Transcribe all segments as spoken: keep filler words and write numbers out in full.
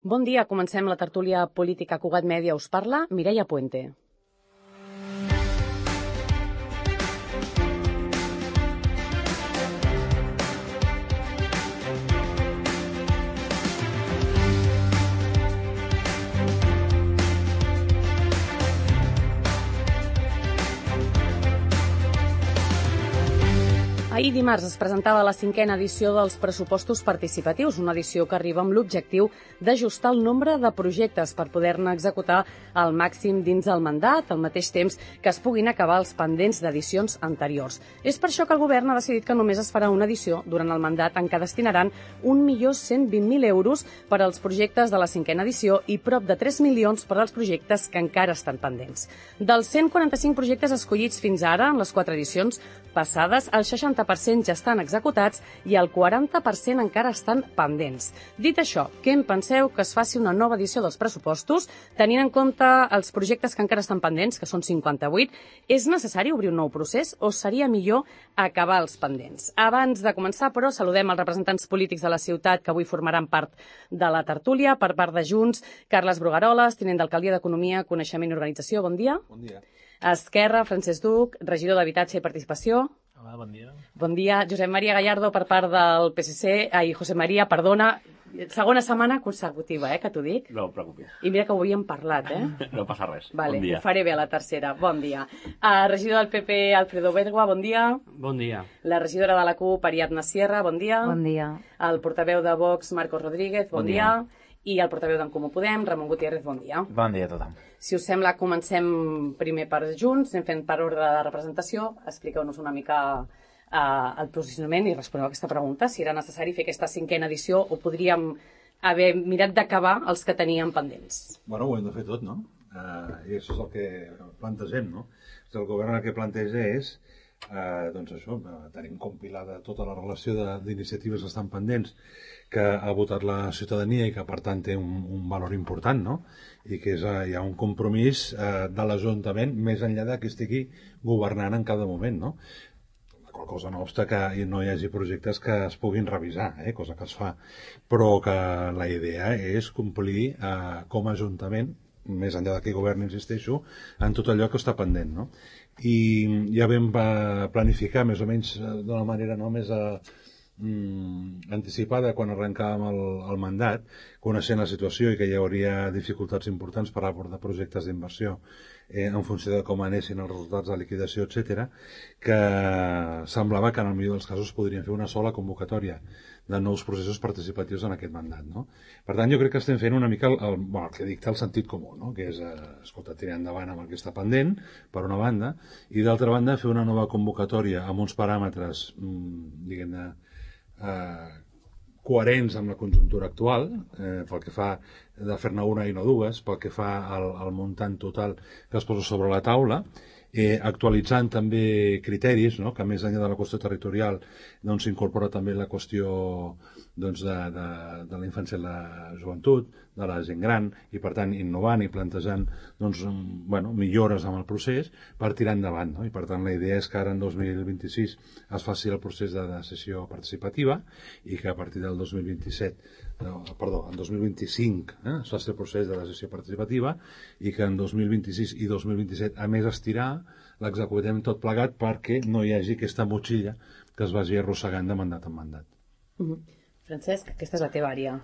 Bon dia, comencem la tertúlia política. Cugat Mèdia us parla, Mireia Puente. Ahir dimarts es presentava la cinquena edició dels pressupostos participatius, una edició que arriba amb l'objectiu d'ajustar el nombre de projectes per poder-ne executar al màxim dins el mandat, al mateix temps que es puguin acabar els pendents d'edicions anteriors. És per això que el govern ha decidit que només es farà una edició durant el mandat en què destinaran un milió cent vint mil euros per als projectes de la cinquena edició i prop de tres milions per als projectes que encara estan pendents. Dels cent quaranta-cinc projectes escollits fins ara en les quatre edicions passades, el seixanta per cent ja estan executats i el quaranta per cent encara estan pendents. Dit això, què en penseu que es faci una nova edició dels pressupostos, tenint en compte els projectes que encara estan pendents, que són cinquanta-vuit, és necessari obrir un nou procés o seria millor acabar els pendents? Abans de començar, però, saludem els representants polítics de la ciutat que avui formaran part de la tertúlia. Per part de Junts, Carles Brugaroles, tinent d'alcaldia d'Economia, Coneixement i Organització. Bon dia. Bon dia. Esquerra, Francesc Duc, regidor d'Habitatge i Participació. Hola, bon dia. Bon dia, Josep Maria Gallardo, per part del P S C. Ai, José María, perdona, segona setmana consecutiva, eh, que t'ho dic. No et preocupis. I mira que ho havíem parlat, eh? No passa res. Vale, Bon dia. Ho faré bé a la tercera. Bon dia. Uh, regidor del P P, Alfredo Bergua, bon dia. Bon dia. La regidora de la CUP, Ariadna Sierra, bon dia. Bon dia. El portaveu de Vox, Marcos Rodríguez, bon, Bon dia. dia. I el portaveu d'en Comú Podem, Ramon Gutiérrez, bon dia. Bon dia a tothom. Si us sembla, comencem primer per Junts, anem fent per ordre de representació. Expliqueu-nos una mica uh, el posicionament i responeu a aquesta pregunta, si era necessari fer aquesta cinquena edició o podríem haver mirat d'acabar els que teníem pendents. Bueno, ho hem de fer tot, no? Uh, I això és el que plantegem, no? El govern el que planteja és, uh, doncs això, uh, tenim compilada tota la relació d'iniciatives que estan pendents, que ha votat la ciutadania i que, per tant, té un, un valor important, no? I que és, uh, hi ha un compromís uh, de l'Ajuntament més enllà de que estigui governant en cada moment, no? La cosa no obsta que no hi hagi projectes que es puguin revisar, eh? Cosa que es fa, però que la idea és complir eh, com a Ajuntament, més enllà de que govern, insisteixo, en tot allò que està pendent, no? I ja vam planificar més o menys d'una manera no més a, mm, anticipada quan arrencàvem el, el mandat, coneixent la situació i que hi hauria dificultats importants per abordar projectes d'inversió eh, en funció de com anessin els resultats de liquidació, etcètera, que semblava que en el millor dels casos podrien fer una sola convocatòria de nous processos participatius en aquest mandat, no? Per tant, jo crec que estem fent una mica el, el, bueno, el que dicta el sentit comú, no? Que és, eh, escolta, tirar endavant amb el que està pendent, per una banda, i d'altra banda fer una nova convocatòria amb uns paràmetres, mmm, diguem-ne, eh, coherents amb la conjuntura actual, eh, pel que fa de fer-ne una i no dues, pel que fa al, al muntant total que es posa sobre la taula, eh, actualitzant també criteris, no? Que més enllà de la qüestió territorial doncs s'incorpora també la qüestió doncs, de, de, de la infància i la joventut, de la gent gran, i per tant innovant i plantejant doncs, bueno, millores en el procés per tirar endavant, no? I per tant la idea és que ara en dos mil vint-i-sis es faci el procés de decisió participativa i que a partir del dos mil vint-i-set no, perdó, en dos mil vint-i-cinc eh, es faci el procés de decisió participativa i que en dos mil vint-i-sis i dos mil vint-i-set a més estirar l'executem tot plegat perquè no hi hagi aquesta motxilla que es vagi arrossegant de mandat en mandat. Uh-huh. Francesc, aquesta és la teva àrea.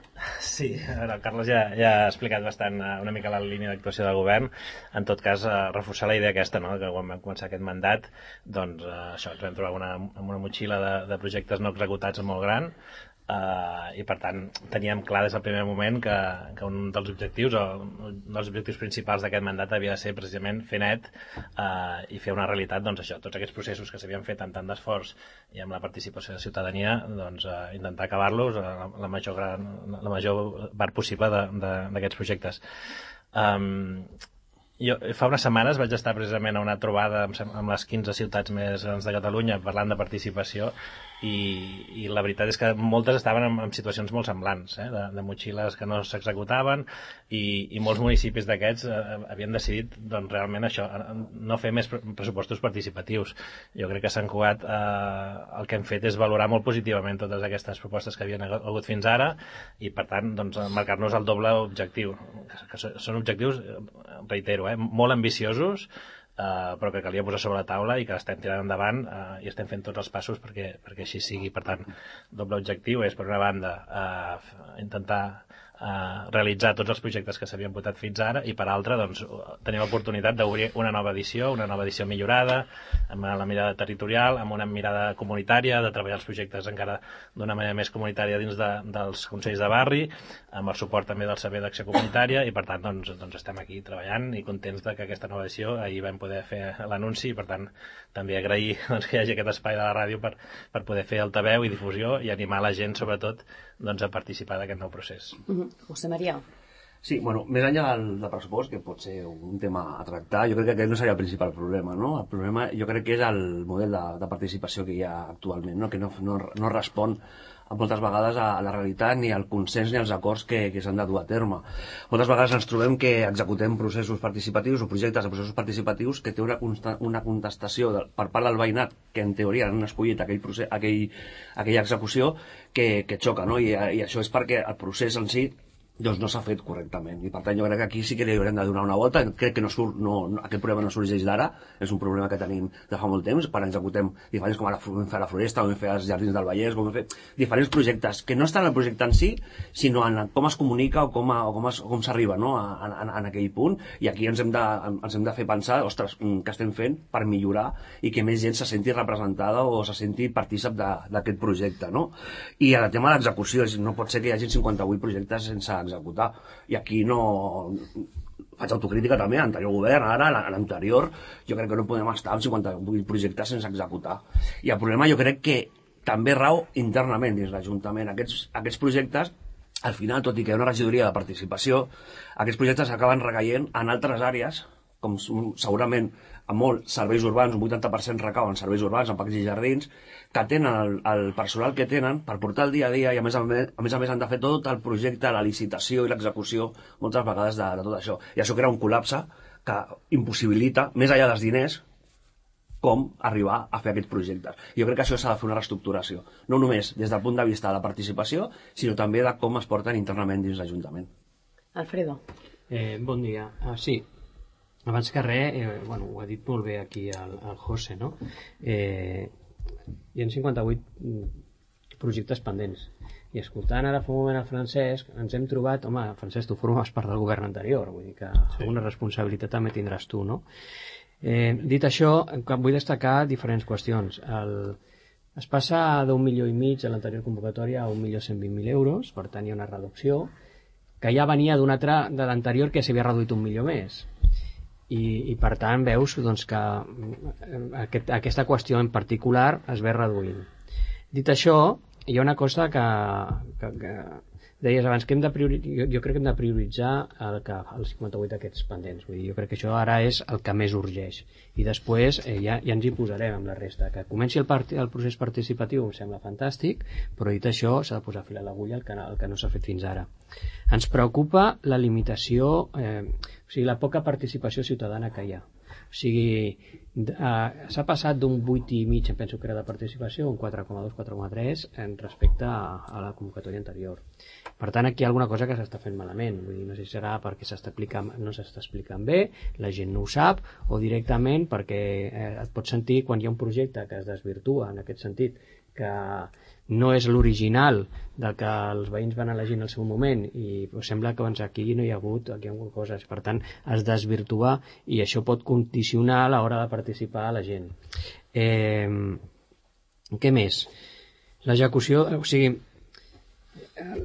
Sí, el Carles ja, ja ha explicat bastant una mica la línia d'actuació del govern. En tot cas, eh, reforçar la idea aquesta, no? Que quan vam començar aquest mandat, doncs eh, això, ens vam trobar una, amb una motxilla de, de projectes no executats molt gran, Uh, i per tant teníem clar des del primer moment que, que un dels objectius o un dels objectius principals d'aquest mandat havia de ser precisament fer net uh, i fer una realitat, doncs això, tots aquests processos que s'havien fet amb tant d'esforç i amb la participació de la ciutadania, doncs uh, intentar acabar-los uh, la major gran, la major part possible d'aquests projectes. Um, Jo, fa unes setmanes vaig estar precisament a una trobada amb, amb les quinze ciutats més grans de Catalunya parlant de participació i, i la veritat és que moltes estaven en, en situacions molt semblants, eh? de, de motxilles que no s'executaven i, i molts municipis d'aquests eh, havien decidit doncs, realment això, no fer més pressupostos participatius. Jo crec que Sant Cugat eh, el que hem fet és valorar molt positivament totes aquestes propostes que havien hagut fins ara i per tant doncs, marcar-nos el doble objectiu, que són objectius, reitero, eh, molt ambiciosos, Uh, però que calia posar sobre la taula i que l'estem tirant endavant uh, i estem fent tots els passos perquè, perquè així sigui. Per tant, doble objectiu és, per una banda, uh, intentar uh, realitzar tots els projectes que s'havien votat fins ara i, per altra, doncs, tenir l'oportunitat d'obrir una nova edició, una nova edició millorada, amb la mirada territorial, amb una mirada comunitària, de treballar els projectes encara d'una manera més comunitària dins de, dels consells de barri, amb el suport també del Servei d'Acció Comunitària i, per tant, doncs, doncs estem aquí treballant i contents de que aquesta nova edició ahir vam poder fer l'anunci i, per tant, també agrair doncs, que hi hagi aquest espai de la ràdio per, per poder fer altaveu i difusió i animar la gent, sobretot, doncs, a participar d'aquest nou procés. Uh-huh. José María. Sí, bueno, més enllà del, del pressupost, que pot ser un tema a tractar, jo crec que aquest no seria el principal problema, no? El problema jo crec que és el model de, de participació que hi ha actualment, no? Que no, no, no respon moltes vegades a la realitat, ni al consens ni als acords que, que s'han de dur a terme. Moltes vegades ens trobem que executem processos participatius o projectes de processos participatius que té una, una contestació de, per part del veïnat, que en teoria han escollit aquell procés, aquell, aquella execució, que, que xoca, no? I, I això és perquè el procés en si doncs no s'ha fet correctament i per tant jo crec que aquí sí que li haurem de donar una volta. Crec que no surt, no, no, aquest problema no sorgeix d'ara, és un problema que tenim de fa molt temps, quan executem diferents, com ara vam fer a la Floresta, com vam fer als Jardins del Vallès, com vam fer diferents projectes que no estan en el projecte en si, sinó en com es comunica o com, a, o com, es, com s'arriba, no? a, a, a aquell punt, i aquí ens hem de, ens hem de fer pensar, ostres, què estem fent per millorar i que més gent se senti representada o se senti partícip d'aquest projecte, no? I el tema de l'execució, no pot ser que hi hagi cinquanta-vuit projectes sense executar, i aquí no faig autocrítica també, l'anterior govern, ara, l'anterior, jo crec que no podem estar amb cinquanta-vuit projectes sense executar, i el problema jo crec que també rau internament dins l'Ajuntament. Aquests, aquests projectes, al final, tot i que hi ha una regidoria de participació, aquests projectes acaben recaient en altres àrees, com segurament a molts serveis urbans, un vuitanta per cent recau en serveis urbans, en parcs i jardins, que tenen el, el personal que tenen per portar el dia a dia i a més a més, a més, a més han de fer tot el projecte, la licitació i l'execució moltes vegades de, de tot això. I això crea un col·lapse que impossibilita, més enllà dels diners, com arribar a fer aquests projectes. Jo crec que això s'ha de fer una reestructuració, no només des del punt de vista de la participació, sinó també de com es porten internament dins l'Ajuntament. Alfredo. Eh, bon dia. Ah, sí, abans que res, eh, bueno, ho ha dit molt bé aquí el, el José, no? Eh, hi ha cinquanta-vuit projectes pendents. I escoltant ara fa un moment el Francesc, ens hem trobat, home, Francesc, tu formes part del govern anterior, vull dir que sí. Alguna responsabilitat també tindràs tu, no? Eh, dit això, vull destacar diferents qüestions. El, es passa d'un milió i mig a l'anterior convocatòria a un milió cent vint mil euros, per tant hi ha una reducció, que ja venia d'una altra de l'anterior que s'havia reduït un milió més. I, i per tant veus doncs, que aquest, aquesta qüestió en particular es ve reduint. Dit això, hi ha una cosa que, que, que deies abans, que hem de prioritzar, jo, jo crec que hem de prioritzar el que, els cinquanta-vuit aquests pendents. Vull dir, jo crec que això ara és el que més urgeix i després eh, ja, ja ens hi posarem amb la resta. Que comenci el, part, el procés participatiu em sembla fantàstic, però dit això s'ha de posar fil a l'agulla el que, el que no s'ha fet fins ara. Ens preocupa la limitació, eh, o sigui, la poca participació ciutadana que hi ha. O sigui, eh, s'ha passat d'un vuit i mig, em penso que era de participació, un quatre coma dos, quatre coma tres en respecte a, a la convocatòria anterior. Per tant, aquí hi ha alguna cosa que s'està fent malament. Vull dir, no sé si serà perquè s'està explicant, no s'està explicant bé, la gent no ho sap, o directament perquè eh, et pots sentir quan hi ha un projecte que es desvirtua en aquest sentit, que no és l'original del que els veïns van elegir en el seu moment i sembla que doncs, aquí no hi ha hagut aquí hi ha hagut coses, per tant es desvirtua i això pot condicionar a l'hora de participar a la gent. Eh, què més? L'execució, o sigui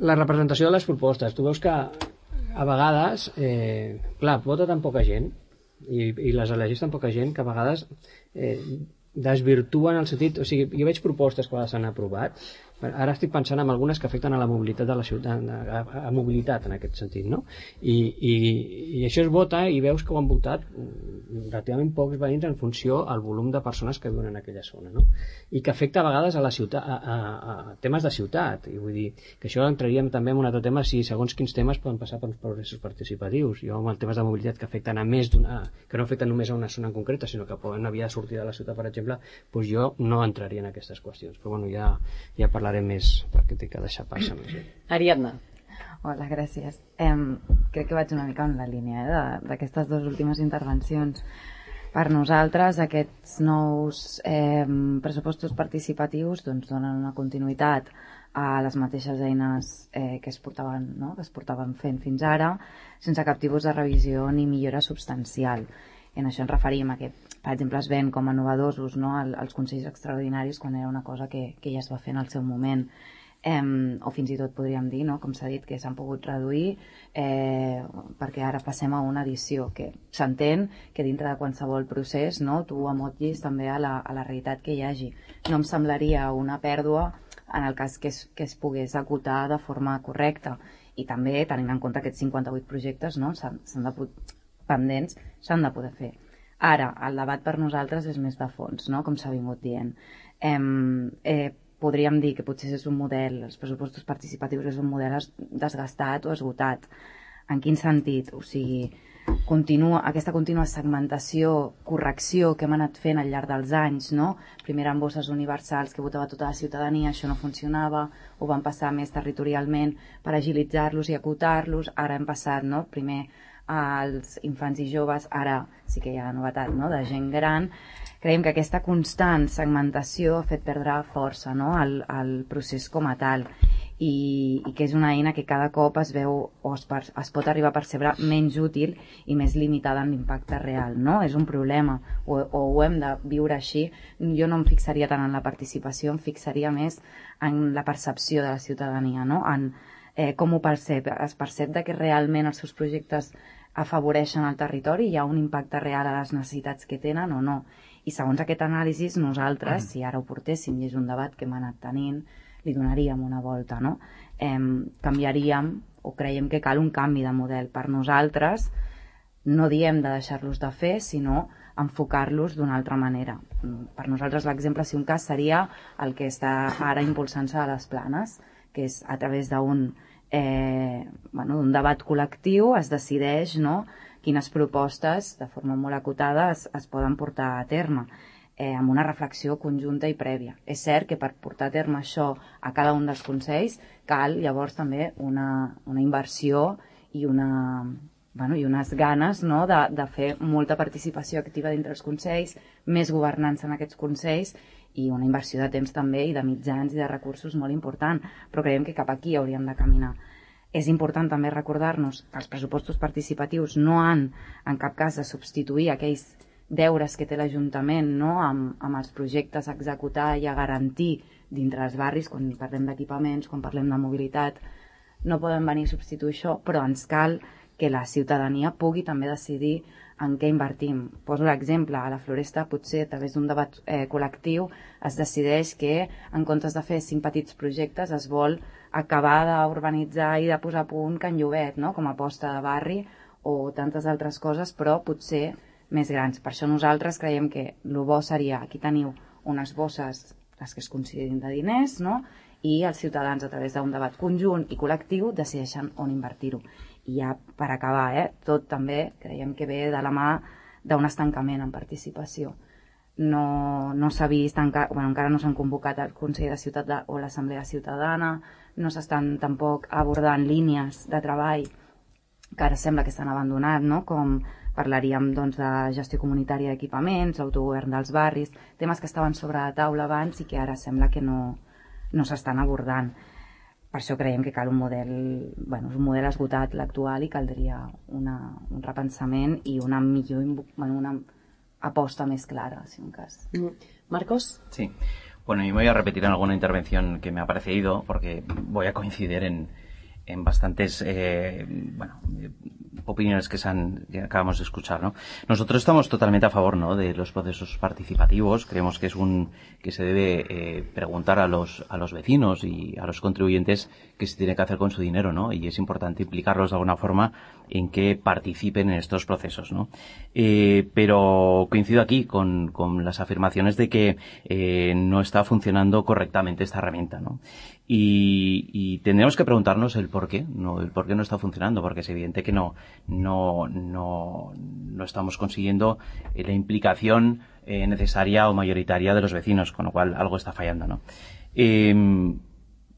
la representació de les propostes, tu veus que a vegades eh, clar, vota tan poca gent i, i les elegeix tan poca gent que a vegades eh, desvirtuen el sentit, o sigui, jo veig propostes que s'han aprovat Ara estic pensant en algunes que afecten a la mobilitat de la ciutat, a, a, a mobilitat en aquest sentit, no? I, i, i això es vota i veus que ho han votat relativament pocs veïns en funció al volum de persones que viuen en aquella zona, no? I que afecta a vegades a la ciutat, a, a, a temes de ciutat, i vull dir que això entraríem també en un altre tema si segons quins temes poden passar per uns processos participatius. Jo amb els temes de mobilitat que afecten a més d'una, que no afecten només a una zona en concreta, sinó que poden haver de sortir de la ciutat, per exemple, doncs jo no entraria en aquestes qüestions, però bueno, ja, ja parlarem més perquè t'he de deixar passar més. Ariadna. Hola, gràcies. Eh, crec que vaig una mica en la línia eh, d'aquestes dues últimes intervencions. Per nosaltres aquests nous eh, pressupostos participatius doncs, donen una continuïtat a les mateixes eines eh, que, es portaven, no? que es portaven fent fins ara, sense cap tipus de revisió ni millora substancial. En això ens referim a que, per exemple, es ven com a novedosos, no? els consells extraordinaris quan era una cosa que, que ja es va fer en el seu moment. Eh, o fins i tot podríem dir, no? com s'ha dit, que s'han pogut reduir eh, perquè ara passem a una edició que s'entén que dintre de qualsevol procés no? tu amotllis també a la, a la realitat que hi hagi. No em semblaria una pèrdua en el cas que es, que es pogués acotar de forma correcta, i també tenint en compte aquests cinquanta-vuit projectes no? s'han de pendents s'han de poder fer. Ara, el debat per nosaltres és més de fons, no? com s'ha vingut dient. Eh, eh, podríem dir que potser és un model, els pressupostos participatius és un model desgastat o esgotat. En quin sentit? O sigui, continua, aquesta contínua segmentació, correcció que hem anat fent al llarg dels anys, no? Primer eren bosses universals que votava tota la ciutadania, això no funcionava, ho van passar més territorialment per agilitzar-los i acotar-los, ara hem passat, no? Primer als infants i joves, ara sí que hi ha novetat, no? de gent gran. Creiem que aquesta constant segmentació ha fet perdre força no? al, al procés com a tal, i, i que és una eina que cada cop es veu o es, per, es pot arribar a percebre menys útil i més limitada en l'impacte real. No? És un problema, o, o ho hem de viure així. Jo no em fixaria tant en la participació, em fixaria més en la percepció de la ciutadania, no? en eh, com ho percep. Es percep de que realment els seus projectes afavoreixen el territori, hi ha un impacte real a les necessitats que tenen o no. I segons aquest anàlisi, nosaltres, si ara ho portéssim i és un debat que hem anat tenint, li donaríem una volta, no? Eh, canviaríem, o creiem que cal un canvi de model. Per nosaltres, no diem de deixar-los de fer, sinó enfocar-los d'una altra manera. Per nosaltres l'exemple, si un cas, seria el que està ara impulsant-se a les Planes, que és a través d'un Eh, bueno, d'un debat col·lectiu es decideix no, quines propostes de forma molt acotada es, es poden portar a terme eh, amb una reflexió conjunta i prèvia. És cert que per portar a terme això a cada un dels consells cal llavors també una, una inversió i, una, bueno, i unes ganes no, de, de fer molta participació activa dintre els consells, més governança en aquests consells i una inversió de temps també i de mitjans i de recursos molt important, però creiem que cap aquí hauríem de caminar. És important també recordar-nos que els pressupostos participatius no han en cap cas de substituir aquells deures que té l'Ajuntament no? amb, amb els projectes a executar i a garantir dintre els barris, quan parlem d'equipaments, quan parlem de mobilitat, no poden venir a substituir això, però ens cal que la ciutadania pugui també decidir en què invertim. Poso l'exemple, a la Floresta potser a través d'un debat eh, col·lectiu es decideix que en comptes de fer cinc petits projectes es vol acabar d'urbanitzar i de posar a punt Can Llobet, no? com a aposta de barri o tantes altres coses, però potser més grans. Per això nosaltres creiem que el bo seria, aquí teniu unes bosses, les que es considerin de diners, no? i els ciutadans a través d'un debat conjunt i col·lectiu decideixen on invertir-ho. I ja per acabar, eh, tot també creiem que ve de la mà d'un estancament en participació. No, no s'ha vist, encara, bueno, encara no s'han convocat el Consell de Ciutat de, o l'Assemblea Ciutadana, no s'estan tampoc abordant línies de treball que ara sembla que s'han abandonat, no? com parlaríem doncs, de gestió comunitària d'equipaments, autogovern dels barris, temes que estaven sobre la taula abans i que ara sembla que no, no s'estan abordant. Per això creiem que cal un model, bueno, és un model esgotat l'actual i caldria una, un repensament i una millor, bueno, una aposta más clara, si un caso. Marcos. Sí. Bueno, y me voy a repetir en alguna intervención que me ha parecido, porque voy a coincidir en, en bastantes eh, bueno, opiniones que, se han, que acabamos de escuchar, ¿no? Nosotros estamos totalmente a favor, ¿no?, de los procesos participativos. Creemos que es un que se debe eh, preguntar a los a los vecinos y a los contribuyentes qué se tiene que hacer con su dinero, ¿no? Y es importante implicarlos de alguna forma en que participen en estos procesos, ¿no? Eh, pero coincido aquí con, con las afirmaciones de que eh, no está funcionando correctamente esta herramienta, ¿no? Y, y tendremos que preguntarnos el por qué, no, el por qué no está funcionando, porque es evidente que no, no, no, no estamos consiguiendo eh, la implicación eh, necesaria o mayoritaria de los vecinos, con lo cual algo está fallando, ¿no? Eh,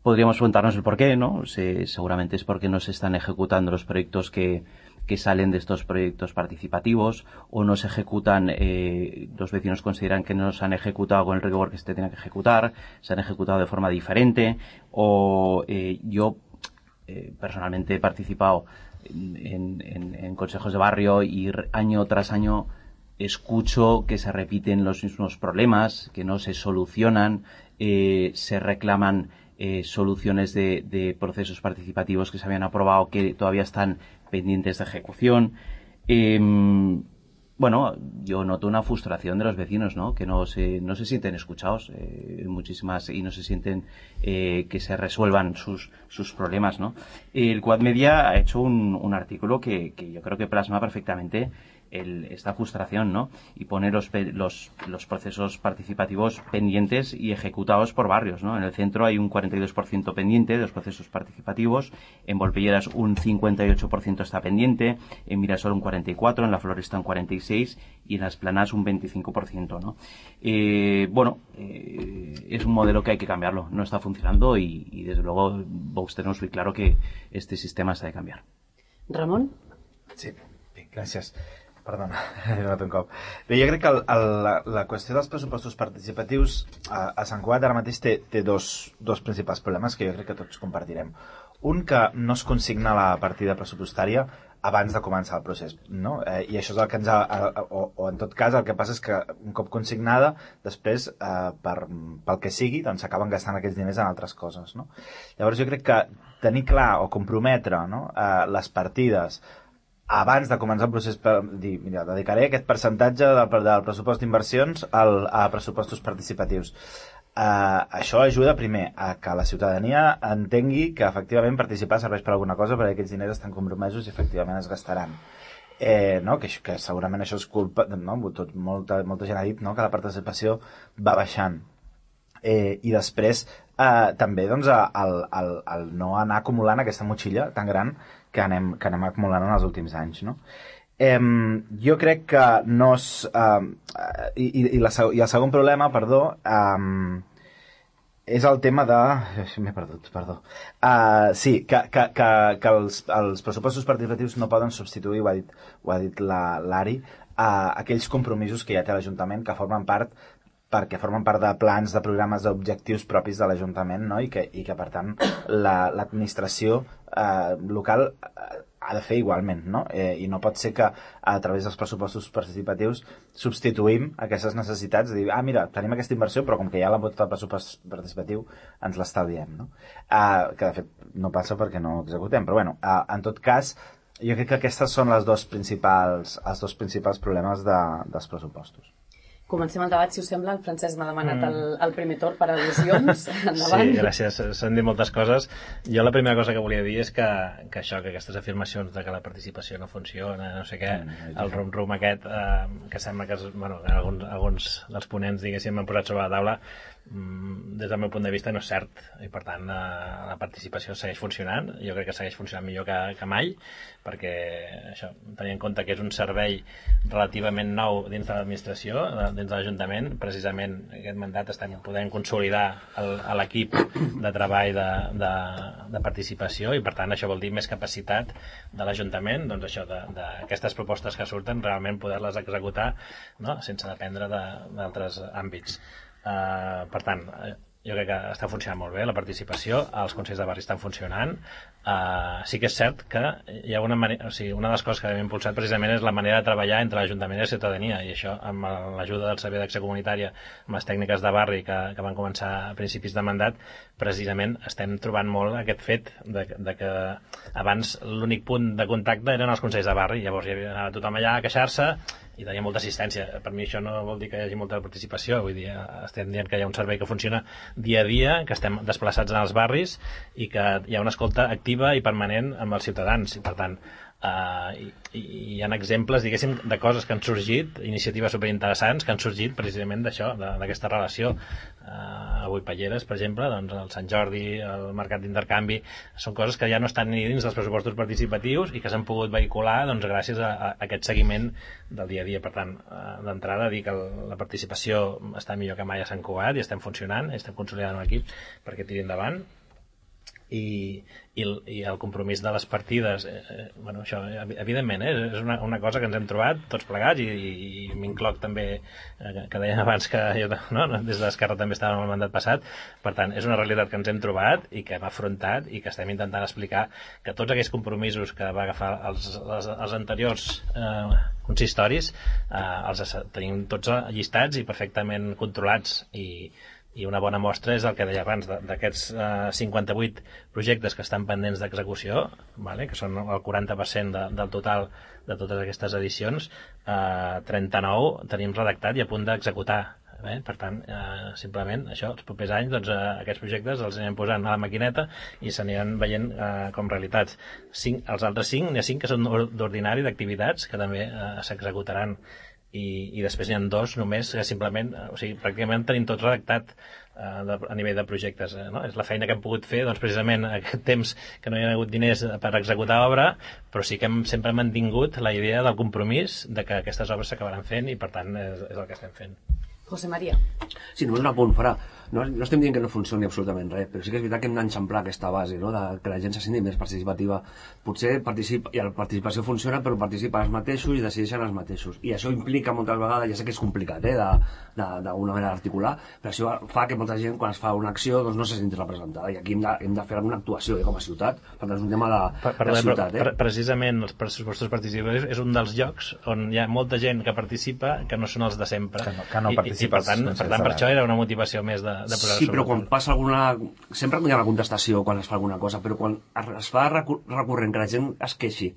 podríamos preguntarnos el por qué, ¿no? Se, seguramente es porque no se están ejecutando los proyectos que, que salen de estos proyectos participativos, o no se ejecutan, eh, los vecinos consideran que no se han ejecutado con el rigor que se tenía que ejecutar, se han ejecutado de forma diferente, o eh, yo eh, personalmente he participado en, en, en consejos de barrio y año tras año escucho que se repiten los mismos problemas, que no se solucionan, eh, se reclaman eh, soluciones de, de procesos participativos que se habían aprobado que todavía están pendientes de ejecución. Eh, bueno, yo noto una frustración de los vecinos, ¿no? Que no se, no se sienten escuchados, eh, muchísimas, y no se sienten eh, que se resuelvan sus, sus problemas, ¿no? El Quad Media ha hecho un, un artículo que, que yo creo que plasma perfectamente El, esta frustración, ¿no? Y pone los, los, los procesos participativos pendientes y ejecutados por barrios, ¿no? En el centro hay un cuarenta y dos por ciento pendiente de los procesos participativos, en Volpelleras un cincuenta y ocho por ciento está pendiente, en Mirasol un cuarenta y cuatro por ciento, en La Floresta un cuarenta y seis por ciento y en Las Planas un veinticinco por ciento, ¿no? Eh, bueno, eh, es un modelo que hay que cambiarlo, no está funcionando y, y desde luego Vox tenemos muy claro que este sistema se ha de cambiar. Ramon? Sí, bé, gràcies. Perdona, he donat un cop. Bé, jo crec que el, el, la, la qüestió dels pressupostos participatius a, a Sant Cugat ara mateix té, té dos, dos principals problemes que jo crec que tots compartirem. Un, que no es consigna la partida pressupostària abans de començar el procés, no? Eh, I això és el que ens ha... O, o en tot cas el que passa és que un cop consignada, després, eh, per, pel que sigui, doncs s'acaben gastant aquests diners en altres coses, no? Llavors jo crec que tenir clar o comprometre, no, eh, les partides abans de començar el procés, per dir, mira, dedicaré aquest percentatge del, del pressupost d'inversions a pressupostos participatius. Uh, això ajuda primer a que la ciutadania entengui que efectivament participar serveix per alguna cosa, perquè aquests diners estan compromesos i efectivament es gastaran. Eh, no? que, que segurament això és culpa, no? Tot, molta, molta gent ha dit, no? Que la participació va baixant. Eh, I després eh, també doncs, el, el, el no anar acumulant aquesta motxilla tan gran que anem, que anem acumulant en els últims anys, no? Eh, jo crec que no és... Eh, i, i, la, I el segon problema, perdó, eh, és el tema de... M'he perdut, perdó. Uh, sí, que, que, que, que els, els pressupostos participatius no poden substituir, ho ha dit, ho ha dit l'Ari, uh, aquells compromisos que ja té l'Ajuntament que formen part perquè formen part de plans, de programes, d'objectius propis de l'Ajuntament, no? I, que, i que, per tant, l'administració la, eh, local eh, ha de fer igualment, no? Eh, I no pot ser que a través dels pressupostos participatius substituïm aquestes necessitats de dir, ah, mira, tenim aquesta inversió, però com que ja l'ha votat el pressupost participatiu, ens l'estalviem, no? Eh, que, de fet, no passa perquè no executem, però, bueno, eh, en tot cas, jo crec que aquestes són les dos principals, els dos principals problemes de, dels pressupostos. Comencem el debat, si us sembla. El Francesc m'ha demanat el, el primer torn per al·lusions. Endavant. Sí, gràcies. S'han dit moltes coses. Jo la primera cosa que volia dir és que, que això, que aquestes afirmacions de que la participació no funciona, no sé què, el rum-rum aquest, eh, que sembla que, bueno, alguns, alguns dels ponents, diguéssim, han posat sobre la taula, des del meu punt de vista no és cert, i per tant la participació segueix funcionant. Jo crec que segueix funcionant millor que, que mai, perquè això, tenint en compte que és un servei relativament nou dins de l'administració, dins de l'Ajuntament, precisament aquest mandat estem podent consolidar l'equip de treball de, de, de participació, i per tant això vol dir més capacitat de l'Ajuntament, doncs això, d'aquestes propostes que surten, realment poder-les executar, no? Sense dependre d'altres àmbits. Uh, per tant, jo crec que està funcionant molt bé la participació, els consells de barri estan funcionant. Uh, sí que és cert que hi ha una manera, o sigui, una de les coses que hem impulsat precisament és la manera de treballar entre l'Ajuntament i la ciutadania, i això amb l'ajuda del Servei d'Acció Comunitària, amb les tècniques de barri que, que van començar a principis de mandat, precisament estem trobant molt aquest fet de, de que abans l'únic punt de contacte eren els consells de barri, llavors hi havia tothom allà a queixar-se i tenia molta assistència. Per mi això no vol dir que hi hagi molta participació, vull dir, estem dient que hi ha un servei que funciona dia a dia, que estem desplaçats en els barris i que hi ha una escolta activa i permanent amb els ciutadans, i per tant Uh, i, i hi ha exemples, diguéssim, de coses que han sorgit, iniciatives superinteressants que han sorgit precisament d'això, d'aquesta relació. Uh, avui Palleres, per exemple, doncs el Sant Jordi, el mercat d'intercanvi, són coses que ja no estan ni dins dels pressupostos participatius i que s'han pogut vehicular doncs, gràcies a, a aquest seguiment del dia a dia. Per tant, uh, d'entrada dir que el, la participació està millor que mai a Sant Cugat i estem funcionant, estem consolidant un equip perquè tiri endavant. I, i, el, i el compromís de les partides, eh, bueno, això, evidentment, eh, és una, una cosa que ens hem trobat tots plegats, i, i, i m'incloc també, eh, que deien abans que jo, no, des d'Esquerra també estàvem al mandat passat. Per tant, és una realitat que ens hem trobat i que hem afrontat i que estem intentant explicar que tots aquells compromisos que va agafar els, els, els anteriors eh, consistoris eh, els tenim tots llistats i perfectament controlats, i i una bona mostra és el que deia abans, d'aquests eh, cinquanta-vuit projectes que estan pendents d'execució, vale? Que són el quaranta per cent de, del total de totes aquestes edicions, eh, trenta-nou tenim redactat i a punt d'executar. Eh? Per tant, eh, simplement això, els propers anys doncs, eh, aquests projectes els anirem posant a la maquineta i s'aniran veient eh, com realitats. Cinc, els altres cinc, n'hi ha cinc que són d'ordinari, d'activitats, que també eh, s'executaran. I, i després n'hi ha dos només que simplement, o sigui, pràcticament tenim tot redactat eh, de, a nivell de projectes, eh, no? És la feina que hem pogut fer, doncs precisament aquest temps que no hi ha hagut diners per executar obra, però sí que hem sempre mantingut la idea del compromís de que aquestes obres s'acabaran fent, i per tant és, és el que estem fent. José María. Sí, només un apunt, farà. No, no estem dient que no funcioni absolutament res, però sí que és veritat que hem d'enxamplar aquesta base, no? De que la gent se senti més participativa. Potser participa, i la participació funciona, però participen els mateixos i decideixen els mateixos. I això implica moltes vegades, ja sé que és complicat, eh, d'alguna manera d'articular, però això fa que molta gent, quan es fa una acció, doncs no se senti representada. I aquí hem de, hem de fer alguna actuació, eh, com a ciutat. Per tant, és un tema de, per, per, de ciutat. Eh? Precisament els pressupostos participatius és un dels llocs on hi ha molta gent que participa que no són els de sempre. Que no, que no I, i, per tant, per tant, per això era una motivació més de, de posar-se. Sí, però quan passa alguna... Sempre hi ha una contestació quan es fa alguna cosa, però quan es fa recurrent que la gent es queixi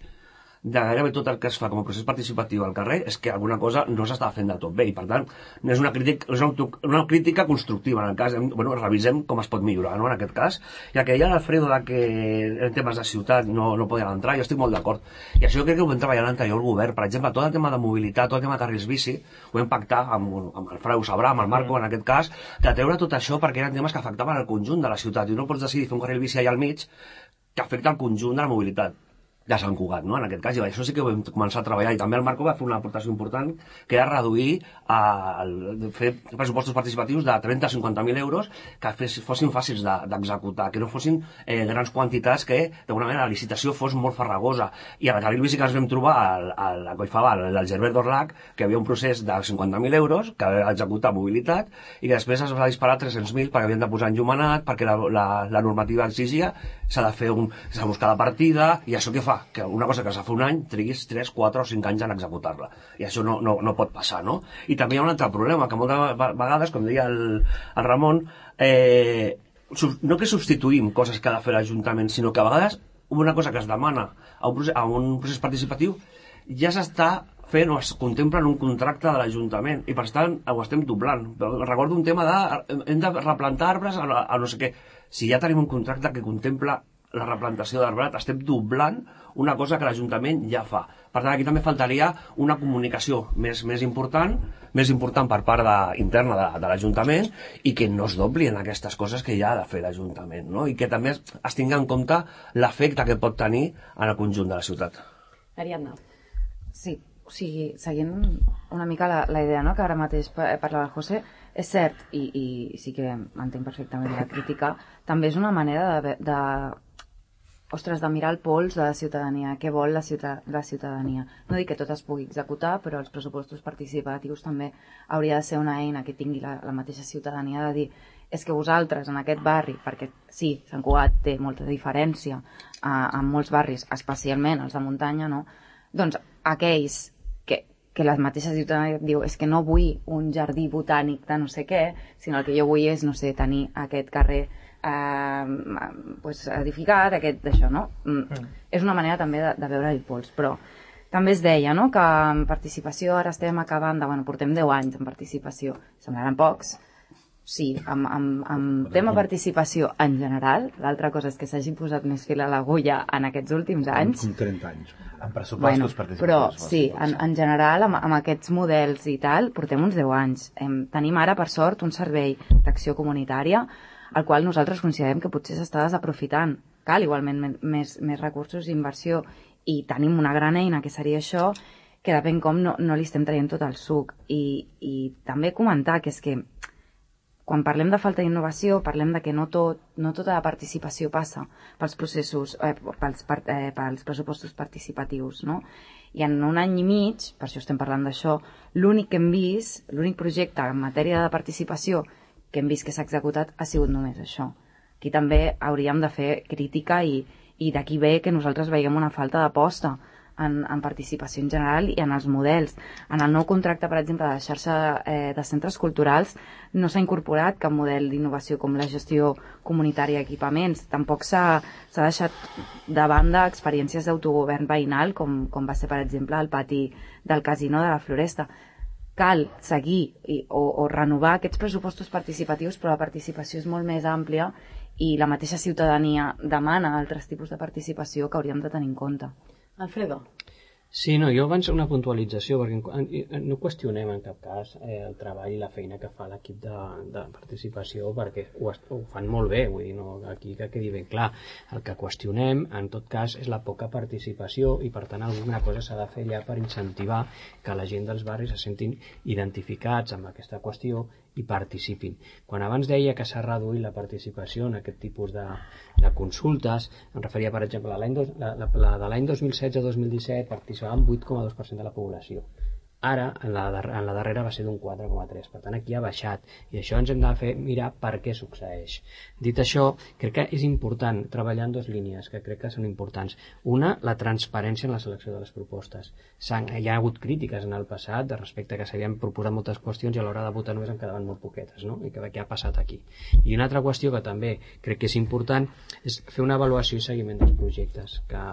de gairebé tot el que es fa com a procés participatiu al carrer, és que alguna cosa no s'està fent del tot bé, i per tant és una crítica, és una, una crítica constructiva en el cas, bueno, revisem com es pot millorar, no?, en aquest cas. I el que deia l'Alfredo de que en temes de ciutat no, no podien entrar, jo estic molt d'acord, i això jo crec que ho vam treballar l'anterior govern. Per exemple, tot el tema de mobilitat, tot el tema de carrils bici, ho vam pactar amb, amb el Frau Sabrà, amb el Marco, en aquest cas, de treure tot això perquè eren temes que afectaven el conjunt de la ciutat, i no pots decidir fer un carril bici allà al mig que afecta el conjunt de la mobilitat de Sant Cugat, no?, en aquest cas. I això sí que ho vam començar a treballar, i també el Marco va fer una aportació important, que era reduir, eh, fer pressupostos participatius de trenta a cinquanta mil euros que fes, fossin fàcils d'executar, que no fossin eh, grans quantitats, que d'alguna manera la licitació fos molt farragosa. I a la carril bici que ens vam trobar al, al, a Collfabal, al Gerbert d'Orlac, que hi havia un procés de cinquanta mil euros que havia d'executar mobilitat, i que després es va disparar tres-cents mil perquè havien de posar enllumenat, perquè la, la, la normativa exigia, s'ha de fer un, s'ha de buscar la partida, i això què fa? Que una cosa que s'ha fet un any triguis tres, quatre o cinc anys en executar-la, i això no, no, no pot passar, no? I també hi ha un altre problema, que moltes vegades, com deia el, el Ramon, eh, no que substituïm coses que ha de fer l'Ajuntament, sinó que a vegades una cosa que es demana a un procés, a un procés participatiu ja s'està fent o es contempla en un contracte de l'Ajuntament, i per tant ho estem doblant. Recordo un tema de hem de replantar arbres a, a no sé què. Si ja tenim un contracte que contempla la replantació d'arbrat, estem doblant una cosa que l'Ajuntament ja fa. Per tant, aquí també faltaria una comunicació més, més important, més important per part de, interna de, de l'Ajuntament, i que no es dobli en aquestes coses que ja ha de fer l'Ajuntament, no? I que també es, es tingui en compte l'efecte que pot tenir en el conjunt de la ciutat. Ariadna. Sí, o sigui, seguint una mica la, la idea, no?, que ara mateix parlava el José, és cert, i, i sí que entenc perfectament la crítica, també és una manera de, de ostres, de mirar el pols de la ciutadania, què vol la, ciuta la ciutadania. No dic que tot es pugui executar, però els pressupostos participatius també hauria de ser una eina que tingui la, la mateixa ciutadania de dir és que vosaltres en aquest barri, perquè sí, Sant Cugat té molta diferència eh, en molts barris, especialment els de muntanya, no? Doncs aquells que, que la mateixa ciutadania diu és que no vull un jardí botànic de no sé què, sinó el que jo vull és, no sé, tenir aquest carrer eh, pues, edificat, aquest d'això, no? Mm. Mm. És una manera també de, de veure el pols, però també es deia, no?, que en participació ara estem acabant de, bueno, portem deu anys en participació, semblaran pocs. Sí, amb, amb, amb tema participació en general, l'altra cosa és que s'hagi posat més fil a l'agulla en aquests últims anys. En trenta anys. En pressupostos bueno, participatius. Però sí, en, en general, amb, amb aquests models i tal, portem uns deu anys. Em, tenim ara, per sort, un servei d'acció comunitària al qual nosaltres considerem que potser s'està desaprofitant. Cal igualment més, més recursos i inversió i tenim una gran eina que seria això, que depèn com no, no li estem traient tot el suc. I, i també comentar que és que quan parlem de falta d'innovació, parlem de que no, tot, no tota la participació passa pels processos, eh, pels, per, eh, pels pressupostos participatius, no? I en un any i mig, per això estem parlant d'això, l'únic que hem vist, l'únic projecte en matèria de participació que hem vist que s'ha executat ha sigut només això. Aquí també hauríem de fer crítica i, i d'aquí ve que nosaltres veiem una falta d'aposta En, en participació en general i en els models. En el nou contracte, per exemple, de la xarxa eh, de centres culturals no s'ha incorporat cap model d'innovació com la gestió comunitària d'equipaments. Tampoc s'ha deixat de banda experiències d'autogovern veïnal com, com va ser, per exemple, el pati del casino de la Floresta. Cal seguir i, o, o renovar aquests pressupostos participatius, però la participació és molt més àmplia i la mateixa ciutadania demana altres tipus de participació que hauríem de tenir en compte. Alfredo. Sí, no, jo abans una puntualització, perquè no qüestionem en cap cas eh, el treball i la feina que fa l'equip de, de participació, perquè ho, ho fan molt bé, vull dir, no, aquí que quedi ben clar. El que qüestionem, en tot cas, és la poca participació i, per tant, alguna cosa s'ha de fer allà per incentivar que la gent dels barris se sentin identificats amb aquesta qüestió i participin. Quan abans deia que s'ha reduït la participació en aquest tipus de, de consultes, em referia, per exemple, a l'any la, la, la de l'any dos mil setze dos mil disset participaven vuit coma dos per cent de la població. Ara, en la, en la darrera va ser d'un quatre coma tres, per tant aquí ha baixat, i això ens hem de fer mirar per què succeeix. Dit això, crec que és important treballar en dues línies que crec que són importants. Una, la transparència en la selecció de les propostes. Hi ha hagut crítiques en el passat de respecte que s'havien proposat moltes qüestions i a l'hora de votar només en quedaven molt poquetes, no? I que, què ha passat aquí. I una altra qüestió que també crec que és important és fer una avaluació i seguiment dels projectes, que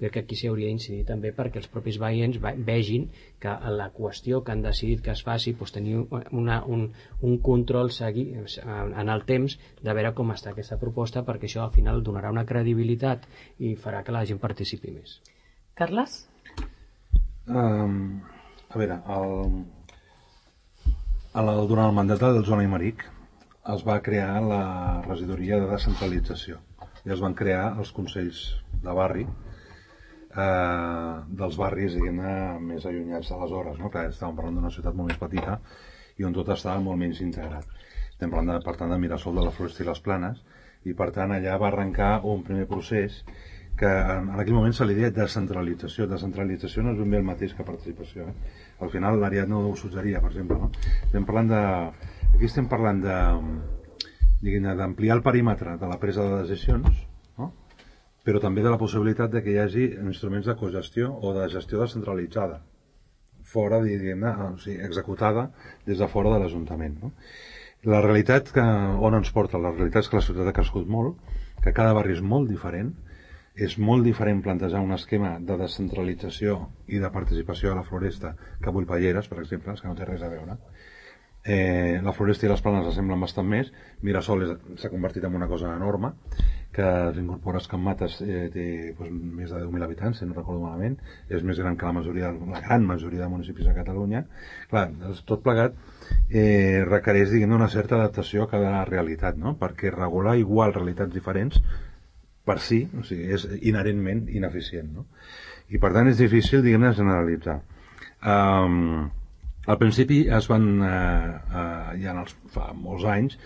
crec que aquí s'hi hauria d'incidir també perquè els propis veïns vegin que la qüestió que han decidit que es faci doncs tenir una, un, un control segui, en el temps de veure com està aquesta proposta, perquè això al final donarà una credibilitat i farà que la gent participi més. Carles? Um, a veure, el, el, durant el mandat del Joan Aymeric es va crear la regidoria de descentralització i es van crear els consells de barri Eh, dels barris, diguem-ne, més allunyats aleshores, no? Clar, estàvem parlant d'una ciutat molt més petita i on tot estava molt menys integrat. Estem parlant, de, per tant, de Mirasol, de la Floresta i les Planes, i per tant allà va arrencar un primer procés que en aquell moment se li deia descentralització. Descentralització no és ben bé el mateix que participació. Eh? Al final l'Ariadna ho suggeria, per exemple. No? Estem parlant de... Aquí estem parlant de, diguem-ne, d'ampliar el perímetre de la presa de decisions, no? Però també de la possibilitat de que hi hagi instruments de cogestió o de gestió descentralitzada, fora, diguem-ne, o sigui, executada des de fora de l'Ajuntament. No? La realitat que, on ens porta? La realitat és que la ciutat ha crescut molt, que cada barri és molt diferent, és molt diferent plantejar un esquema de descentralització i de participació a la Floresta que a Bullpalleres, per exemple, que no té res a veure. Eh, la Floresta i les Planes s'assemblen bastant més. Mirasol s'ha convertit en una cosa enorme, que s'incorpora a Can Mates, eh, té doncs, més de deu mil habitants, si no recordo malament, és més gran que la majoria, la gran majoria de municipis de Catalunya. Clar, tot plegat eh, requereix, diguem, una certa adaptació a cada realitat, no? Perquè regular igual realitats diferents per si, o sigui, és inherentment ineficient, no? I per tant és difícil, diguem, generalitzar. Um, Al principi es van, eh, eh, ja en els, fa molts anys,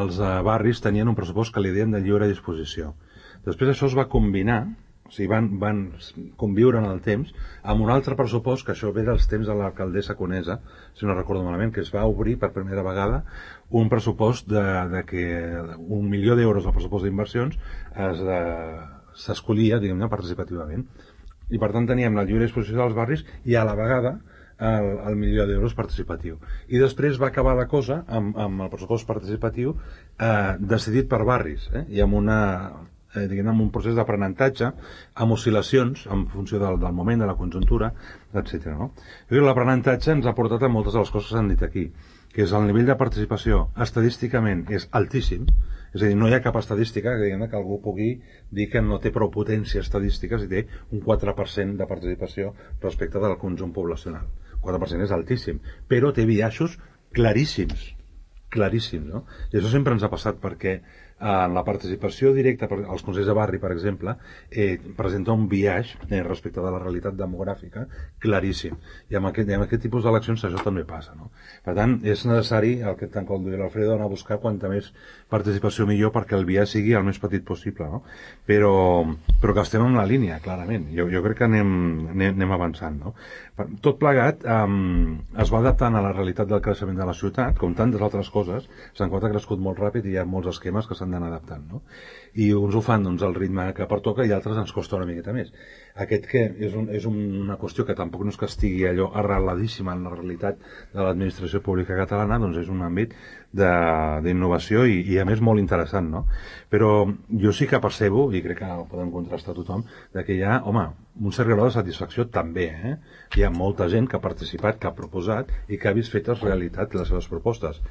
els eh, barris tenien un pressupost que li deien de lliure disposició. Després això es va combinar, o sigui, van, van conviure en el temps amb un altre pressupost, que això ve dels temps de l'alcaldessa Conesa, si no recordo malament, que es va obrir per primera vegada un pressupost de, de que un milió d'euros al pressupost d'inversions s'escollia, diguem-ne, participativament. I per tant teníem la lliure disposició dels barris i a la vegada el, el milió d'euros participatiu. I després va acabar la cosa amb, amb el pressupost participatiu eh, decidit per barris, eh, i amb una... Eh, diguem, amb un procés d'aprenentatge amb oscil·lacions en funció del, del moment, de la conjuntura, etcètera. No? L'aprenentatge ens ha portat a moltes de les coses que s'han dit aquí, que és el nivell de participació estadísticament és altíssim, és a dir, no hi ha cap estadística que, diguem, que algú pugui dir que no té prou potència estadística si té un quatre per cent de participació respecte del conjunt poblacional. El quatre per cent és altíssim, però té biaixos claríssims, claríssims, no? I això sempre ens ha passat perquè en la participació directa als consells de barri, per exemple, eh, presenta un biaix eh, respecte de la realitat demogràfica claríssim. I amb aquest, amb aquest tipus d'eleccions això també passa, no? Per tant, és necessari, el que tant com diu l'Alfredo, anar a buscar quanta més participació millor perquè el biaix sigui el més petit possible, no? Però, però que estem en la línia, clarament. Jo, jo crec que anem, anem, anem avançant, no? Tot plegat eh, es va adaptant a la realitat del creixement de la ciutat, com tantes altres coses. Sant Cugat ha crescut molt ràpid i hi ha molts esquemes que s'han d'anar adaptant, no? I uns ho fan doncs, al ritme que pertoca i altres ens costa una miqueta més. Aquest que és, un, és una qüestió que tampoc no és que estigui allò arreladíssima en la realitat de l'administració pública catalana, doncs és un àmbit d'innovació i, i a més molt interessant, no? Però jo sí que percebo, i crec que ho podem contrastar tothom, de que hi ha, home, un cert grau de satisfacció també, eh? Hi ha molta gent que ha participat, que ha proposat i que ha vist fetes realitat les seves propostes.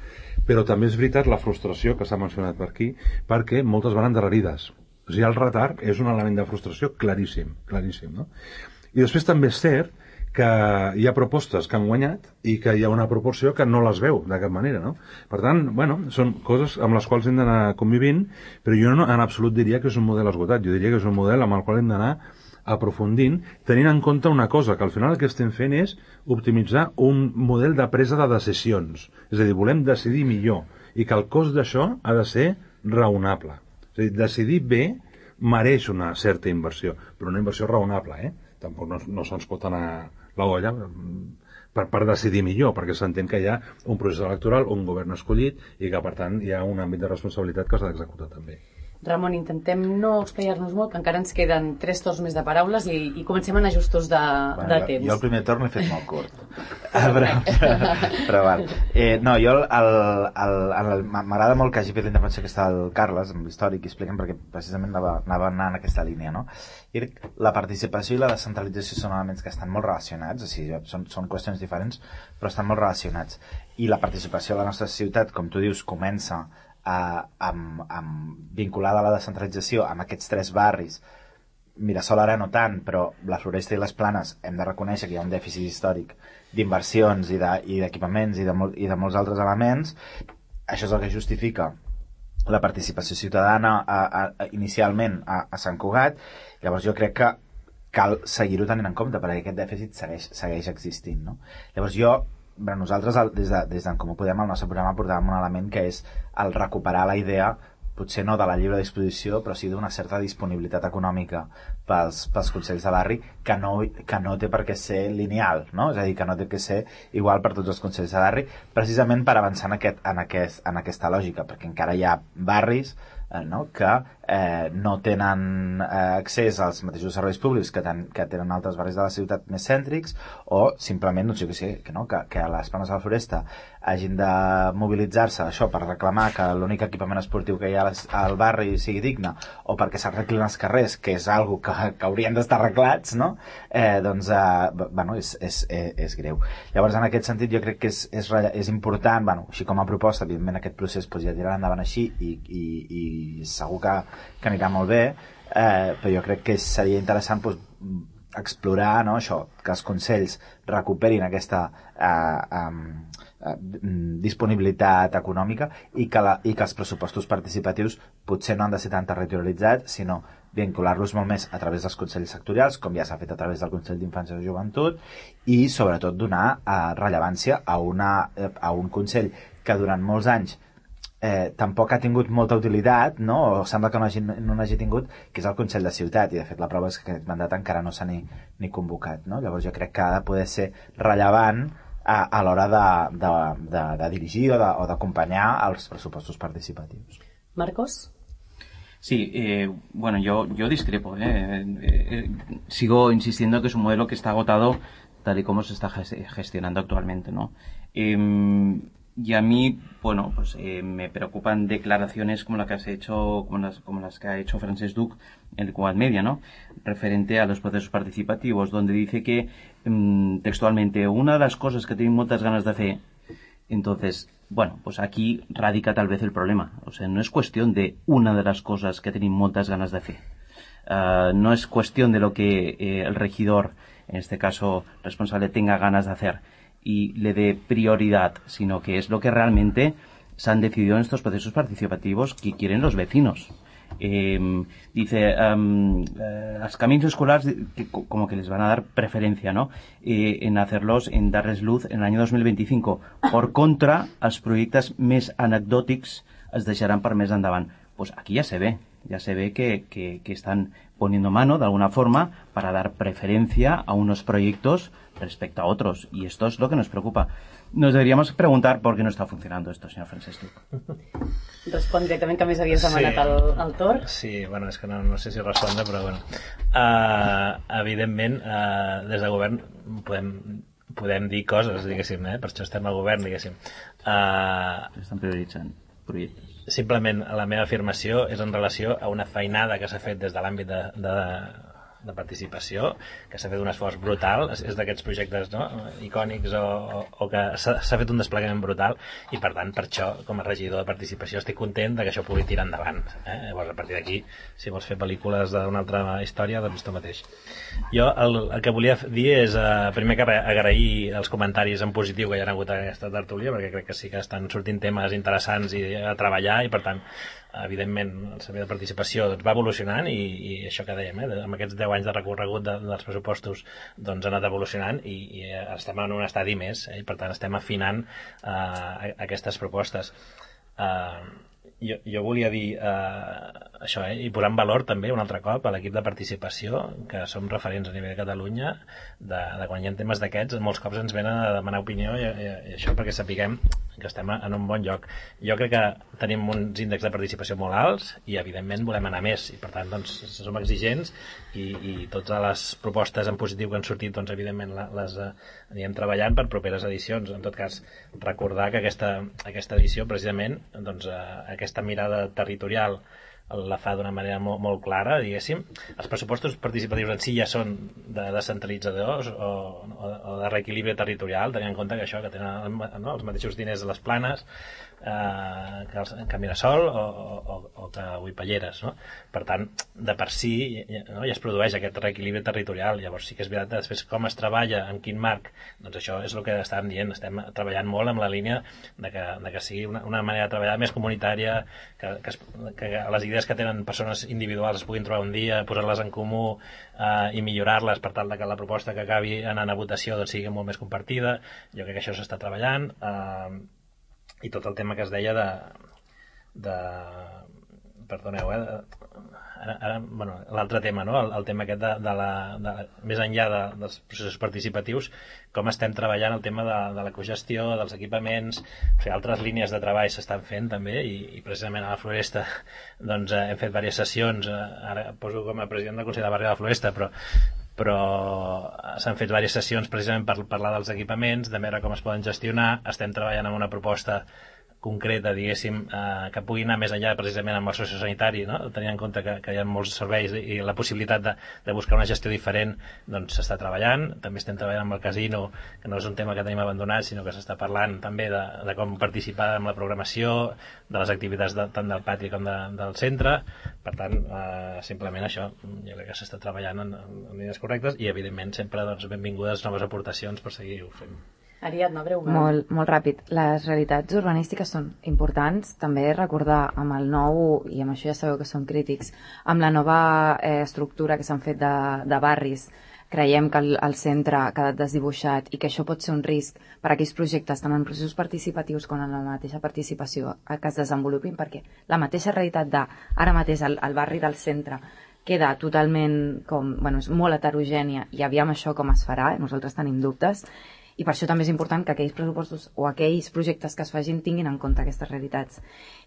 Però també és veritat la frustració que s'ha mencionat per aquí, perquè moltes van endarrerides. O sigui, el retard és un element de frustració claríssim, claríssim, no? I després també és cert que hi ha propostes que han guanyat i que hi ha una proporció que no les veu de cap manera, no? Per tant, bueno, són coses amb les quals hem d'anar convivint, però jo no en absolut diria que és un model esgotat, jo diria que és un model amb el qual hem d'anar aprofundint, tenint en compte una cosa, que al final el que estem fent és optimitzar un model de presa de decisions. És a dir, volem decidir millor i que el cost d'això ha de ser raonable. És a dir, decidir bé mereix una certa inversió, però una inversió raonable, eh? Tampoc no, no se'ns pot anar la olla per, per decidir millor, perquè s'entén que hi ha un procés electoral, un govern escollit i que, per tant, hi ha un àmbit de responsabilitat que s'ha d'executar també. Ramon, intentem no explayar-nos molt, que encara ens queden tres torns més de paraules i, i comencem a anar justos de, bueno, de temps. Jo el primer torn l'he fet molt curt. però, però, però val. Eh, no, jo m'agrada molt que hagi fet la intervenció que està el Carles, amb l'històric, i expliquen perquè precisament anava, anava anar en aquesta línia, no? I la participació i la descentralització són elements que estan molt relacionats, o sigui, són, són qüestions diferents, però estan molt relacionats. I la participació a la nostra ciutat, com tu dius, comença Uh, amb, amb, vinculada a la descentralització amb aquests tres barris. Mirasol ara no tant, però la Floresta i les Planes hem de reconèixer que hi ha un dèficit històric d'inversions i d'equipaments i, de, i, de i de molts altres elements. Això és el que justifica la participació ciutadana a, a, a, inicialment a, a Sant Cugat. Llavors jo crec que cal seguir-ho tenint en compte perquè aquest dèficit segueix, segueix existint, no? Llavors jo Però nosaltres, des d'en de, Comú Podem, al nostre programa portàvem un element que és el recuperar la idea, potser no de la lliure disposició, però sí d'una certa disponibilitat econòmica pels, pels consells de barri, que no, que no té per què ser lineal, no? És a dir, que no té que ser igual per tots els consells de barri, precisament per avançar en, aquest, en, aquest, en aquesta lògica, perquè encara hi ha barris eh, no? que eh, no tenen eh, accés als mateixos serveis públics que, ten, que tenen altres barris de la ciutat més cèntrics, o simplement, no sé què sé, que, no? que, que a les Planes de la Floresta hagin de mobilitzar-se això per reclamar que l'únic equipament esportiu que hi ha al barri sigui digne, o perquè s'arreglin els carrers, que és algo que, que haurien d'estar arreglats, no? eh, doncs eh, bueno, és, és, és, és greu. Llavors, en aquest sentit, jo crec que és, és, és important, bueno, així com a proposta, evidentment aquest procés pues, ja tirarà endavant així i, i, i segur que, que anirà molt bé, eh, però jo crec que seria interessant pues, explorar, no, això, que els consells recuperin aquesta eh, eh, disponibilitat econòmica i que, la, i que els pressupostos participatius potser no han de ser tan territorialitzats, sinó vincular-los molt més a través dels consells sectorials, com ja s'ha fet a través del Consell d'Infància i Joventut, i sobretot donar eh, rellevància a, una, eh, a un consell que durant molts anys eh, tampoc ha tingut molta utilitat, no? O sembla que no hagi, no n'hagi tingut, que és el Consell de Ciutat, i de fet la prova és que aquest mandat encara no s'ha ni, ni convocat, no? Llavors jo crec que ha de poder ser rellevant a, a l'hora de, de, de, de dirigir o d'acompanyar els pressupostos participatius. Marcos? Sí, eh, bueno, yo, yo discrepo. Eh. Eh, sigo insistiendo que es un modelo que está agotado tal y como se está gestionando actualmente, ¿no? Eh, y a mí, bueno, pues eh, me preocupan declaraciones como las que has hecho, como las, como las que ha hecho Francesc Duc en el Quad Media, ¿no? Referente a los procesos participativos, donde dice que eh, textualmente una de las cosas que tienen muchas ganas de hacer. Entonces, bueno, pues aquí radica tal vez el problema. O sea, no es cuestión de una de las cosas que tienen muchas ganas de hacer. Uh, no es cuestión de lo que eh, el regidor, en este caso responsable, tenga ganas de hacer y le dé prioridad, sino que es lo que realmente se han decidido en estos procesos participativos que quieren los vecinos. Eh, dice, um, eh, los caminos escolares que, como que les van a dar preferencia, ¿no? Eh, en hacerlos, en darles luz en el año dos mil veinticinco. Por contra, els projectes més anecdòtics es deixaran per més endavant. Pues aquí ya se ve, ya se ve que, que, que están poniendo mano de alguna forma para dar preferencia a unos proyectos respecto a otros, y esto es lo que nos preocupa. Nos deberíamos preguntar por qué no está funcionando esto, señor Francesc Duc. Respon directament, que més havies demanat sí. el, el torn. Sí, bueno, és que no, no sé si respondre, però bueno. Uh, evidentment, uh, des de govern podem, podem dir coses, diguéssim, eh? Per això estem al govern, diguéssim. Uh, Estan prioritzant projectes. Simplement, la meva afirmació és en relació a una feinada que s'ha fet des de l'àmbit de, de, de participació, que s'ha fet un esforç brutal, és, és d'aquests projectes, no?, icònics o, o, o que s'ha fet un desplegament brutal, i per tant, per això, com a regidor de participació, estic content de que això pugui tirar endavant. Eh? Llavors, a partir d'aquí, si vols fer pel·lícules d'una altra història, doncs tu mateix. Jo el, el que volia dir és, eh, primer que agrair els comentaris en positiu que hi ha hagut a aquesta tertúlia, perquè crec que sí que estan sortint temes interessants i a treballar, i per tant, evidentment, el servei de participació doncs, va evolucionant, i, i això que dèiem, eh, amb aquests deu anys de recorregut de, dels pressupostos, doncs ha anat evolucionant, i, i estem en un estadi més, eh, i per tant estem afinant eh, aquestes propostes. Eh, jo, jo volia dir eh, això, eh, i posar en valor també un altre cop a l'equip de participació, que som referents a nivell de Catalunya, de, de quan hi ha temes d'aquests, molts cops ens venen a demanar opinió, i, i, i això perquè sapiguem que estem en un bon lloc. Jo crec que tenim uns índexs de participació molt alts i evidentment volem anar més, i per tant doncs, som exigents, i, i totes les propostes en positiu que han sortit, doncs evidentment les eh, anirem treballant per properes edicions. En tot cas, recordar que aquesta, aquesta edició precisament, doncs, eh, aquesta mirada territorial la fa d'una manera molt, molt clara, diguéssim. Els pressupostos participatius en si ja són de descentralitzadors o, o, o de reequilibri territorial, tenint en compte que això, que tenen, no, els mateixos diners de les planes eh, que, els, que Mirasol o, o, o que Huipalleres, no? Per tant, de per si no, ja es produeix aquest reequilibri territorial. Llavors sí que és veritat, després com es treballa, en quin marc, doncs això és el que estàvem dient, estem treballant molt amb la línia de que, de que sigui una, una manera de treballar més comunitària, que, que, es, que les idees que tenen persones individuals es puguin trobar un dia, posar-les en comú eh, i millorar-les per tal de que la proposta que acabi anant a votació doncs, sigui molt més compartida. Jo crec que això s'està treballant, eh, i tot el tema que es deia de, de perdoneu, eh, ara, ara, bueno, l'altre tema, no? el, el tema aquest de, de la, de, més enllà de, dels processos participatius, com estem treballant el tema de, de la cogestió, dels equipaments, o sigui, altres línies de treball s'estan fent també, i, i precisament a la Floresta doncs, eh, hem fet diverses sessions, eh, ara poso com a president del Consell de Barri de la Floresta, però però s'han fet diverses sessions precisament per parlar dels equipaments, de veure com es poden gestionar. Estem treballant en una proposta concreta, diguéssim, eh, que pugui anar més enllà precisament amb el sociosanitari, no? Tenint en compte que, que hi ha molts serveis i la possibilitat de, de buscar una gestió diferent, doncs s'està treballant. També estem treballant amb el casino, que no és un tema que tenim abandonat, sinó que s'està parlant també de, de com participar en la programació, de les activitats de, tant del pati com de, del centre. Per tant, eh, simplement això, jo crec que s'està treballant en, en línies correctes, i evidentment sempre doncs, benvingudes noves aportacions per seguir-ho fent. Ariadna, breument. Molt, molt ràpid. Les realitats urbanístiques són importants. També recordar amb el nou, i amb això ja sabeu que són crítics, amb la nova eh, estructura que s'han fet de, de barris, creiem que el, el centre ha quedat desdibuixat i que això pot ser un risc per a aquells projectes, tant en processos participatius com en la mateixa participació que es desenvolupin, perquè la mateixa realitat de ara mateix el, el barri del centre queda totalment com, bueno, és molt heterogènia i aviam això com es farà, nosaltres tenim dubtes, i per això també és important que aquells pressupostos o aquells projectes que es facin tinguin en compte aquestes realitats.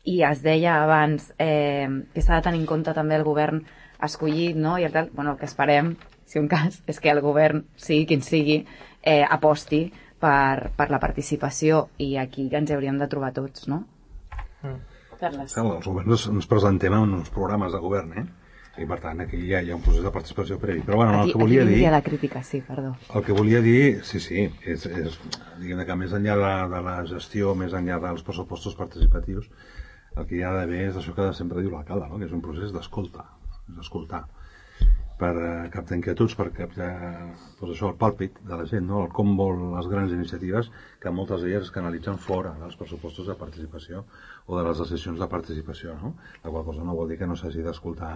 I es deia abans eh, que s'ha de tenir en compte també el govern escollit, no? I el, tal, bueno, el que esperem, si un cas, és que el govern, sigui quin sigui, eh, aposti per, per la participació, i aquí ens hauríem de trobar tots, no? Mm. Carles. Els governs ens presentem en uns programes de govern, eh? I per tant aquí ja hi ha un procés de participació previ. Però bueno, aquí, el que volia dir... la crítica, sí, perdó. El que volia dir, sí, sí, és, és diguem que més enllà de, de la gestió, més enllà dels pressupostos participatius, el que hi ha d'haver és això que sempre diu l'alcalde, no? Que és un procés d'escolta, és escoltar, per uh, captar inquietuds, per captar doncs això, el pàlpit de la gent, no? El com vol les grans iniciatives, que moltes d'elles es canalitzen fora dels pressupostos de participació o de les decisions de participació, no? La qual cosa no vol dir que no s'hagi d'escoltar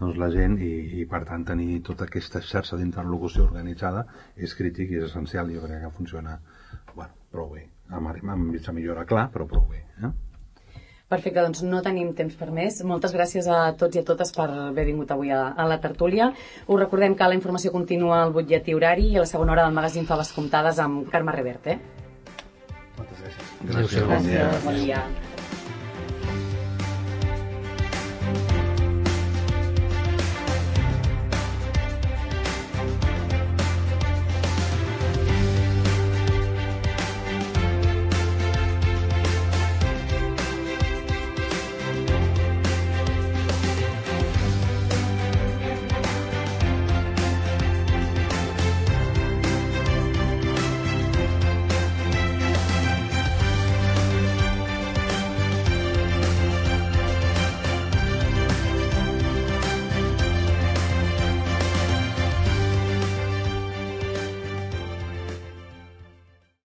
doncs, la gent i, i per tant tenir tota aquesta xarxa d'interlocució organitzada és crític i és essencial. Jo crec que funciona bueno, prou bé, amb, amb mitja millora clar, però prou bé, eh? Perfecte, doncs no tenim temps per més. Moltes gràcies a tots i a totes per haver vingut avui a, a la tertúlia. Us recordem que la informació continua al butlletí horari i a la segona hora del magazín Faves Comptades amb Carme Reverte. Moltes gràcies. Gràcies, bon dia. Bon dia.